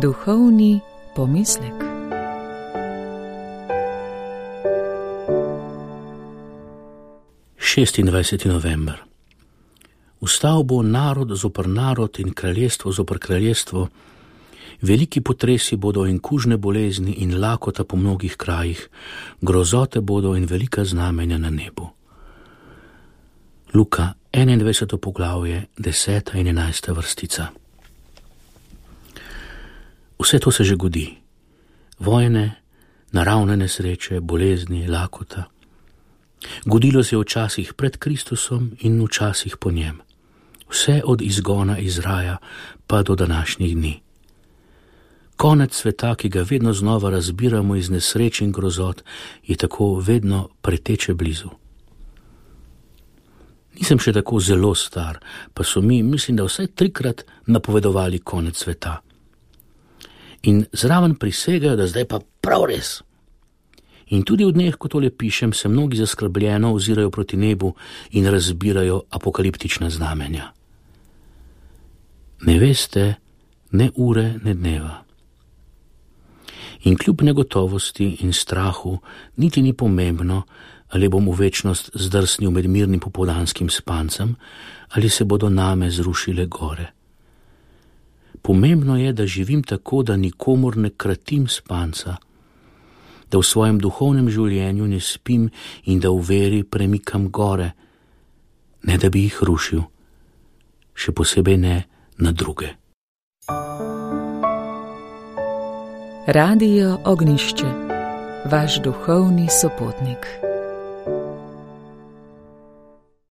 Duhovni pomislek. Šestindvajseti november. Vstal bo narod zoper narod in kraljestvo zoper kraljestvo. Veliki potresi bodo in kužne bolezni in lakota po mnogih krajih, grozote bodo in velika znamenja na nebu. Luka 21. poglavje, 10. in 11. vrstica. Vse to se že godi. Vojne, naravne nesreče, bolezni, lakota. Godilo se je včasih pred Kristusom in včasih po njem. Vse od izgona iz raja pa do današnjih dni. Konec sveta, ki ga vedno znova razbiramo iz nesreč in grozot, je tako vedno preteče blizu. Nisem še tako zelo star, pa so mi, mislim, da vsaj 3-krat napovedovali konec sveta. In zraven prisegajo, da zdaj pa prav res. In tudi v dneh, ko tole pišem, se mnogi zaskrbljeno ozirajo proti nebu in razbirajo apokaliptična znamenja. Ne veste ne ure, ne dneva. In kljub negotovosti in strahu niti ni pomembno, ali bom v večnost zdrsnil med mirnim popoldanskim spancem, ali se bodo name zrušile gore. Pomembno je, da živim tako, da nikomur ne kratim spanca, da v svojem duhovnem življenju ne spim in da v veri premikam gore, ne da bi jih rušil, še posebej ne na druge. Radio Ognjišče, vaš duhovni sopotnik.